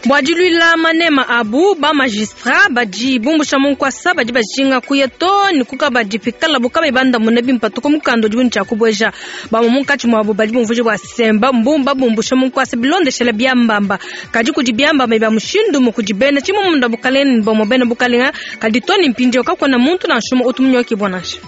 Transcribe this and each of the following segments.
Bua diluila manema abu, ba magistrat badi bumbusha mu nkuasa badi bajinga kuya too ne ku kabadi pikalabu kabayi bandamune bimpe to ku mukanda udibu ne tshia kubueja. Bamue munkatshi muabu badi bumvuija bua se, mbabumbusha mu nkuasa bilondeshele biambamba. Kadi kudi biambamba bia mushindu umue kudi bena tshimumunda bukalenge ne bamue bena bukalenga, kadi too ne mpindieu kakuena muntu nansha umue utu munyokibua nansha.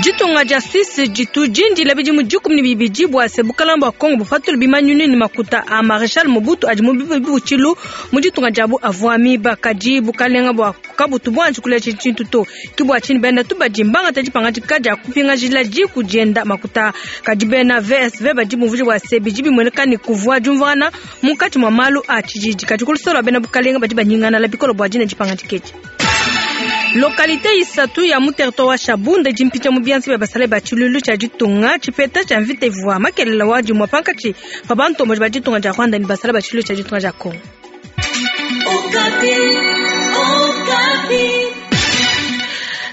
Ditunga dia Suisse ditu dindila bidimu 12 bua se bukalanga bua Congo bupatule bimanyinu ne makuta a Marechal Mobutu adi mu bibutshilu mu ditunga diabu avua miba. Kadi bukalenga bua kabutu buanji kuleja tshintu to. Ke bua tshinyi bena tubadi mbangata dipangadika dia kupingajila diku dienda makuta. Kadi bena VSV badi bumvuija bua se bidi bimueneka ne kuvua diumvuangana munkatshi mua malu a tshididi. Kadi ku luseke lua bena bukalenga badi banyingalala bikole bua dina dipangadika edi. Lokalite isatu ya mu territoire wa Shabunda idi mpita mu bianza bia basalayi ba tshiluilu tshia ditunga. Tshipeta tshia mvita ivua makelela wa dimue pankatshi pa bantomboji ba ditunga dia Rwanda ne basalayi ba tshiluilu tshia ditunga dia Congo.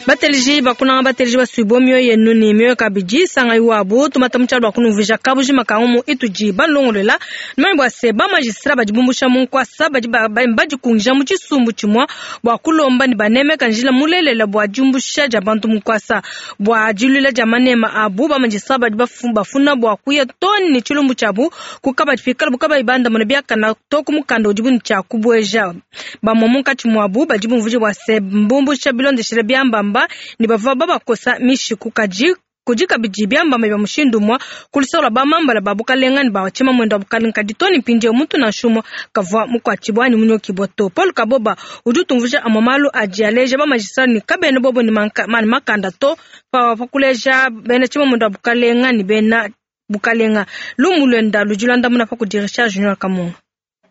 Bateleji bakunanga bateleji basuibue mioyo yenu ne mioyo kabidi sangayi wabu tumata mu tshialu bua kunumvuija kabujima ka ngumu itudi balongolola. Numanye bua se ba magistrat badi bumbusha mu nkuasa badi badikungija mu tshisumbu tshimua bua kulomba ne banemeka njila mulelela bua diumbusha dia bantu mu nkuasa. Bua diluila dia manema abu, ba magistrat badi bafuna bua kuya too ne tshilumbu tshiabu ku kabadi pikalabu kabayi bandamuna biakana to ku mukanda udibu ne tshia kubueja. Bamue munkatshi muabu badi bumvuija bua se mbumbusha bilondeshile biambamba ne bavua babakosa mishiku kadi kudi kabidi biambamba bia mushindu umue ku luseke lua bamambala ba bukalenga ne ba tshimamuende wa bukalenga kadi too ne mpindieu muntu nansha umue kavua mukuatshibue anyi munyokibue to. Paul Kaboba udi utumvuija amue malu adi aleja ba magistrat ne kabena bobo ne makanda to pa kuleja bena tshimamuende wa bukalenga ne bena bukalenga. Lumu luenda ludi luandamuna pa kudi Richard Junior Kamunga.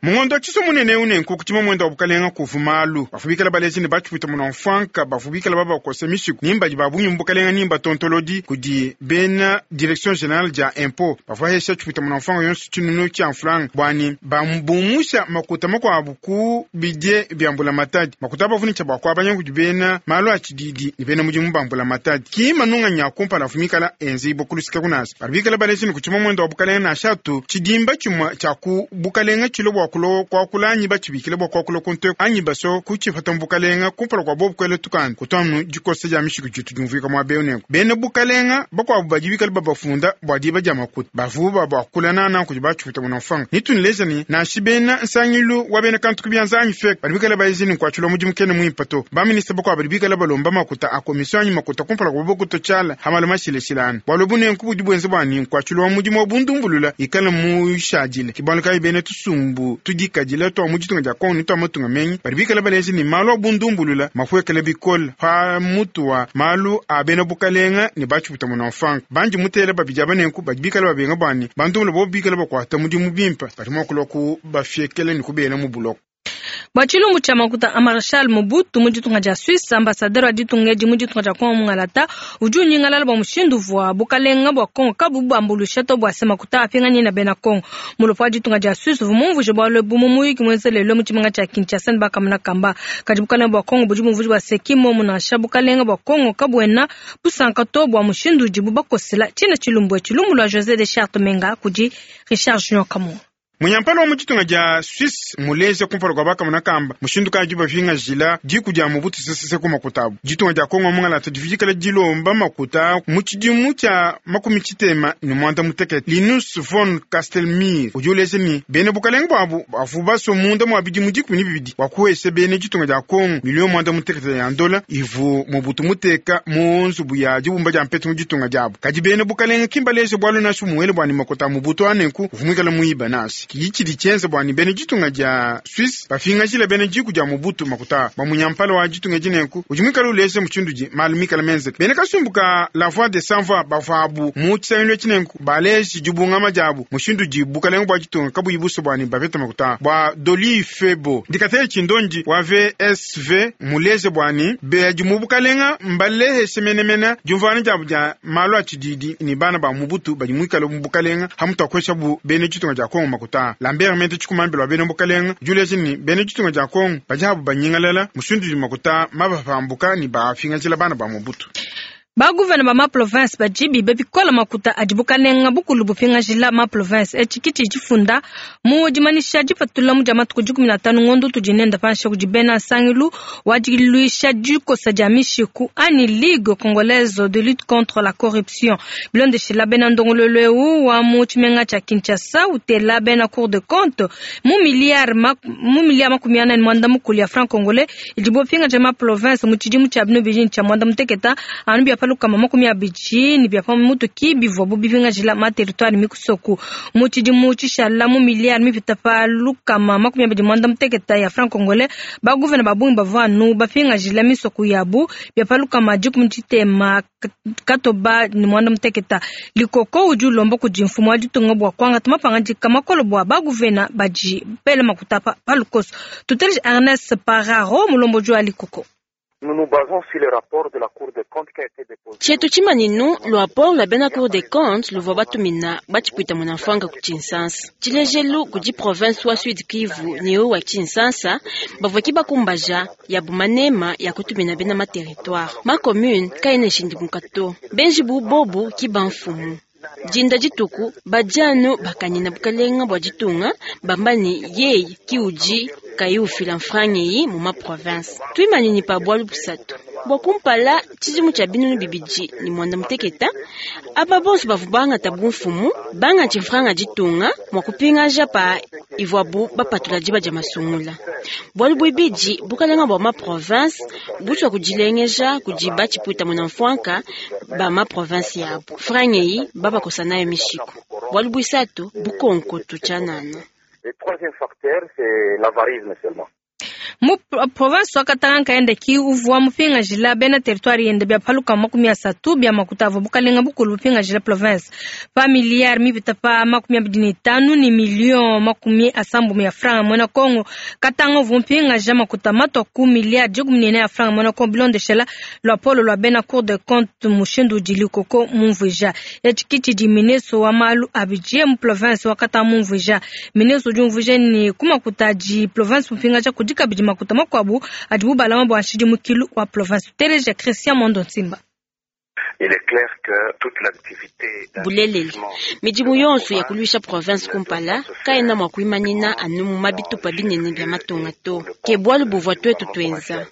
Mu ngondo wa tshiso munene eu nenku ku tshimamuende wa bukalenga kuvu malu bavua bikala baleji ne batshipwita munamfuanka bavua bikala babakosa mishiku ni mbadi ba bungi mu bukalenga ni mbatontolodi kudi bena direction generale dia impot bavua hesha tshipwita munamfuanka yonso tshinunu tshia mfranga bua ne babumusha makuta makuabu ku bidie bia mbulamatadi makuta bavua ne tshia bua kuabanya kudi bena malu a tshididi ne bena mudimu ba mbulamatadi ki manunganyi a kumpala avua mikala enzibua ku luseke kunasa badi bikala baleji ne ku tshimamuende wa bukalenga nansha tu tshidimba tshimue tshia ku bukalenga tshilo bua kulo kuakula anyi batshibikile bua kuakula ku nteku anyi baso kutshipata mu bukalenga kumpala kua bobu kuela tukanda kutuanu dikosa dia mishiku ditu diumvuika muaba eu. Nenku bena bukalenga bakuabu badi bikala babafunda bua diba dia makuta bavubu babakula nana kudi batshipita munamfanga nitunuleja ne nansha bena nsangilu wa bena kantu ku bianza anyi fek badi bikala baezi ne nkuatshilwa mudimu kena muimpe to. Baminista bakuabu badi bikala balomba makuta a komisio anyi makuta kumpala kua bobu kutua tshiala ha malu mashilashilangane. Bualu ebu nenku budi buenza bua ne nkuatshilwa wa mudimu wa bundumbulula ikale mushadile. Ke bualu kayi bena tusumbu tudikadila tua mu ditunga dia Congo ne tua matunga menyi badi bikala baleja ne malu a bundumbulula mapuekele bikole pa mutu wa malu a bena bukalenga ne batshiputa munamfanka. Bandi mutele babidi aba nenku badi bikala babenga bua ne bandumbulula bobu bikala bakuata mudimu bimpe badi mua kulua kubafiekela ne kubela mu buloko. Bua tshilumbu tshia makuta a Marechal Mobutu mu ditunga dia Suisse, ambassadeur wa ditunga edi mu ditunga dia Congo mungalata udi unyingalala bua mushindu uvua bukalenga bua Congo kabuyi bubambuluisha to bua se makuta apinganyina bena Congo. Mulopo wa ditunga dia Suisse uvua mumvuije bualu ebu mu muyuki muenza lelu mu tshimenga tshia Kinshasa ne bakamona kamba. Kadi bukalenga bua Congo budi bumvuija bua se ki mmuomu nansha, bukalenga bua Congo kabuena busanka to bua mushindu udibu bakosela tshina tshilumbu etshi. Lumu lua Jose de Charte Menga kudi Richard Junior Kamunga. Munyampala wa mu ditunga dia Suisse muleja kumpala kua bakamona kamba mushindu kayi dibapingajila diku dia Mobutu Sese Seko makuta abu. Ditunga dia Congo mungalata divua dikala dilomba makuta mu tshidimu tshia 35. Linus von Castelmir udi uleja ne bena bukalenga buabu bavua basue munda mua bidimu 12 bua kuhesha bena ditunga dia Congo miliyo 16 ya ndola ivu Mobutu muteka mu nzubu ya dibumba dia mpetu mu ditunga diabu. Kadi bena bukalenga ki mbaleje bualu nansha bumuele bua ne makuta a Mobutu a nenku uvua muikale muiba nansha. Ki tshidi tshienza bua ne bena ditunga dia Suisse bapingajile bena diku dia Mobutu makuta a bamunyampala wa ditunga edi nenku udi muikale uleja mushindu udi malu mikale menzeke. Bena kasumbu ka La Voix des Sans Voix bavuabu mu tshisangilu etshi nenku baleje dibungama diabu mushindu udi bukalenga bua ditunga kabuyi busue bua ne bapete makuta a bua Dolly Febo. Dikatele tshindondi wa VSV muleje bua ne badi mu bukalenga mbaleheshe menemene diumvuangana diabu dia malu a tshididi ne bana ba Mobutu badi muikale mu bukalenga hamutu akueshabu bena ditunga dia Kongo makuta. Lambert Mende tshikumambila wa bena bukalenga udi uleja ne bena ditunga dia Kongo badi habu banyingalala mushindu udi makuta mabapambuka ne bapingajila bana ba Mobutu. Ba gouvena ba ma province badi biba bikola makuta adi bukalenga bukulu bupingajila ma province. Etshi ki tshidi tshifunda mu dimanyisha dipatula mu dia matuku 15 ngondo utudi nenda panshi kudi bena nsangilu wa diluisha dikosa dia mishiku anyi Ligue Congolaise de lutte contre la corruption. Bilondeshila bena ndongoluelu eu wa mu tshimenga tshia Kinshasa utela bena Cour de compte mu milliard 45 ya franc congolais idibo bapingaja ma province mu tshidimu tshia bino bidi tshia mwanda muteketa anu bia palukama 20 ni bia pa mutu ki bivua bipingajila ma territoire mikusoku mu tshidimu tshishala mu milliard mipita pa lukama 28 ya franc congolais ba gouverneur babungi bavua anu bapingajila misoku yabu bia palukama 13 katoba ni mwanda muteketa. Likoko udi ulomba kudi mfumu wa ditunga bua kuangata mapangadika makolo bua ba gouverneur badi bela makuta pa lukoso. Tuteleje Ernest Pararo mulomboji wa Likoko. Chetu chimaninu lwapo lwa bena Cour des comptes luvua batumina batshipwita munamfwanga ku Tshinsansa. Tshilejelu kudi province wa Sud Kivu ni wa Tshinsansa bavua kibakumbaja ya bumanema ya kutumina bena ma territoire. Ma commune kaena shindimuka to. Benji bu bobu kiba mfumu. Jinda dituku badianu bakanyina bukalenga bua ditunga bambani yeye kiuji kayi ufila mfrange mu ma province. Tuimanini pa bwalu busatu. Bua kumpala tshidimu tshia binunu bibidi ni mwanda muteketa aba bonso bavu bangata bumfumu banga mfranga ditunga mwa kupingaja pa ivwabu bapatula diba dia masungula. Bwalu bwibidi bukalenga bua ma province butshwa kudilengeja kudi batshipwita muna mfwanka ba ma province yabo. Frange yi babakosa nayo mishiko. Bwalu bwisatu bukonko tutshanana. Le troisième facteur, c'est l'avarisme seulement. Mu province wa Katanga kaenda ki uvua mupingajila bena territoire yende bia paluka 30 bia makuta avua bukalenga bukulu bupingajila province pa milliard mipita pa 25 ni million 70 ya franc mwena Kongo. Katanga uvua mupingaja makuta matwa ku milliard 14 ya franc mwena Kongo bilondeshela lwa polo lwa bena Cour de compte mushindu udi Likoko mumvuija. Etshi ki tshidi ministre wa malu abidie mu province wa Katanga mumvuija. Ministre udi umvuija ni ku makuta adi province mupingaja kudi kabidi makuta makwabu adibu balama bua nshidimukilu wa province. Teleja Christian Mondo Nsimba. Il est clair que toute l'activité Bulelele midimu yonso ya kuluisha province kumpala kaena mwa kuimanina anu mu mabitupa binene bia matunga to. Ke bwalu buvua twetu twenza.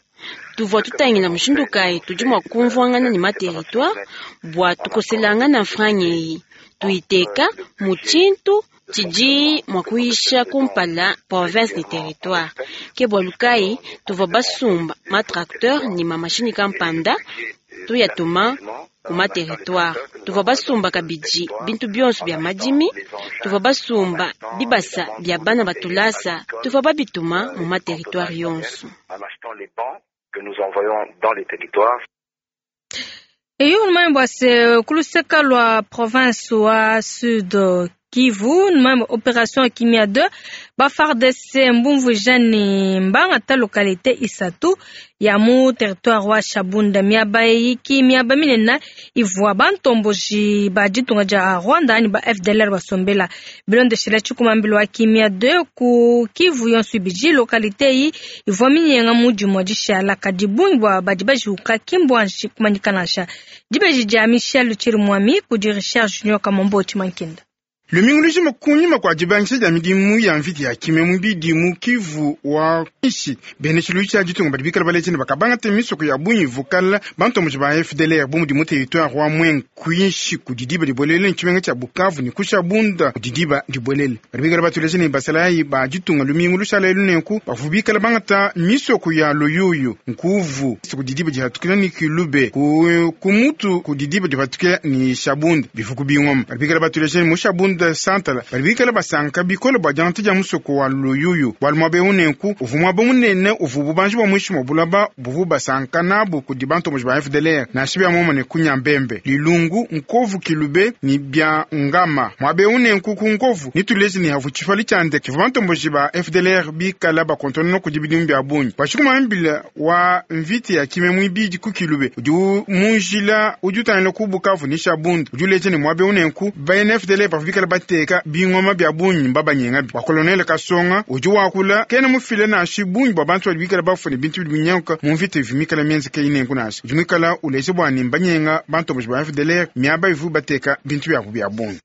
Tuvua tutangila mushindu kayi tudi mua kumvuangana ne ma territoire bua tukoselangana mfrange eyi. Tuiteka mu tshintu tshidi mua kuyisha kumpala province ni territoire. Ke bwalu kayi tuvua basumba ma tracteur ni ma machine kampanda tuyatuma ku ma territoire. Tuvua basumba kabidi bintu bionso bia madimi, tuvua basumba bibasa bia bana batulasa, tuvua babituma mu ma territoire yonso. En achetant les bancs que nous envoyons dans les territoires. Eyo numambo ase kuluseka lwa province wa Sud Kivu numambo opération Kimia 2 ba FARDC mbumvuija ni mbanga ta localité isatu ya mu territoire wa Shabunda miaba iki miaba minene ivua bantomboji ba ditunga dia Rwanda ani ba FDLR basombela bilondeshela tshikumambilo wa Kimia 2 ku Kivu yonso ibidi localité yi ivua minyenga mu dimua dishala kadi bungi bua badi bajiuka kimbua kumanyikana dibeji dia Michel Chirimwami kudi Richard Junior Kamombo Chimankinda. Lumingu lujima kunyima kwa dibangisha dia midimu ya mvita ya kimia mubidi mu Kivu wa ishi bene tshilu tshia ditunga badi bikala balejene bakabangata misoko ya bungi vukala bantomboji ba FDLR bu mudi mu territoire wa Mwenga kuishi kudi diba dibolele ntshimenga tshia Bukavu ni ku Shabunda kudi diba dibolele badi bikala batulejene basalayi ba ditunga lumingu lushala elu nenku bavua bikala bangata misoko ya Luyuyu Nkuvu kudi diba dihatukila ni Kilube ku mutu kudi diba dihatukila ni Shabunda bifuku bingoma badi bikala batulejene mu Shabunda Santala badi bikala basanka bikole bua diangata dia musoko wa Luyuyu bualu muaba eu nenku uvua muaba munene uvua bubanji bua muinshi mua bulaba buvua basanka nabu kudi bantomboji ba FDLR nansha bia momone ku Nyambembe Lilungu Nkovu Kilube ni bia Ngama muaba eu nenku ku Nkovu nituleje ni havu tshifali tshia ndeke tshivua bantomboji ba FDLR bikala bakontonona kudi bidimu bia bungi bua wa mvita ya kimia muibidi ku Kilube udi mu njila udi utangila ku Bukavu ni Shabunda udi uleje ni muaba eu nenku ba FDLR bavua bikala bateka bingoma bia bungi mbabanyengabi. Bua Colonel Kasonga udi wakula kena mufile nansha bungi bua bantu badi bikala bafue ne bintu bidi binyanguka mu mvita ivua mikala mienzeke eyi nenku nansha. Udi muikala uleja bua ne mbanyenga bantomboji ba FDLR miaba ivuabu bateka bintu biabu bia bungi.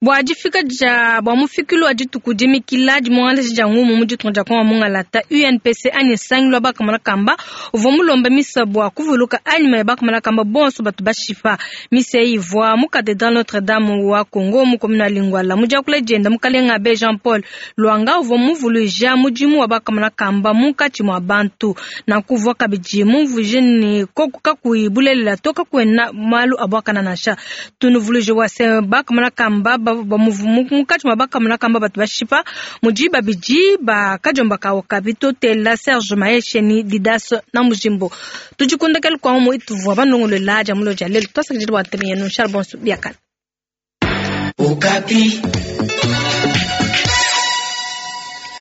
Bua difika dia bua mufikilu wa dituku dimikila dimuangalaja dia ngumu mu ditunga dia Kongo mungalata UNPC anyi nsangilu wa bakamona kamba uvua mulomba misa bua kuvuluka anyima ya bakamona kamba bonso batu bashipa. Misa eyi ivua mu Cathedrale Notre Dame wa Congo mu commune wa Lingwala. Mu diakula dienda mukalenga Abbe Jean Paul Luanga uvua muvuluija mudimu wa bakamona kamba munkatshi mua bantu. Nanku uvua kabidi mumvuije ne koku kakuyi bulelela to kakuena malu a buakana nansha. Tunuvuluije bua se bakamona kamba ba munkatshi mua bakamona kamba batu bashipa mudi babidi ba kadiomba ka Okapi totela Serge Maheshe ni Didas na Mujimbo. Tudi ku ndekelu kua ngumu ituvua banongolola dia mulo dia lelu. Tuasakidila bua ntema yenu. Charles Bonsu biakana. Okapi.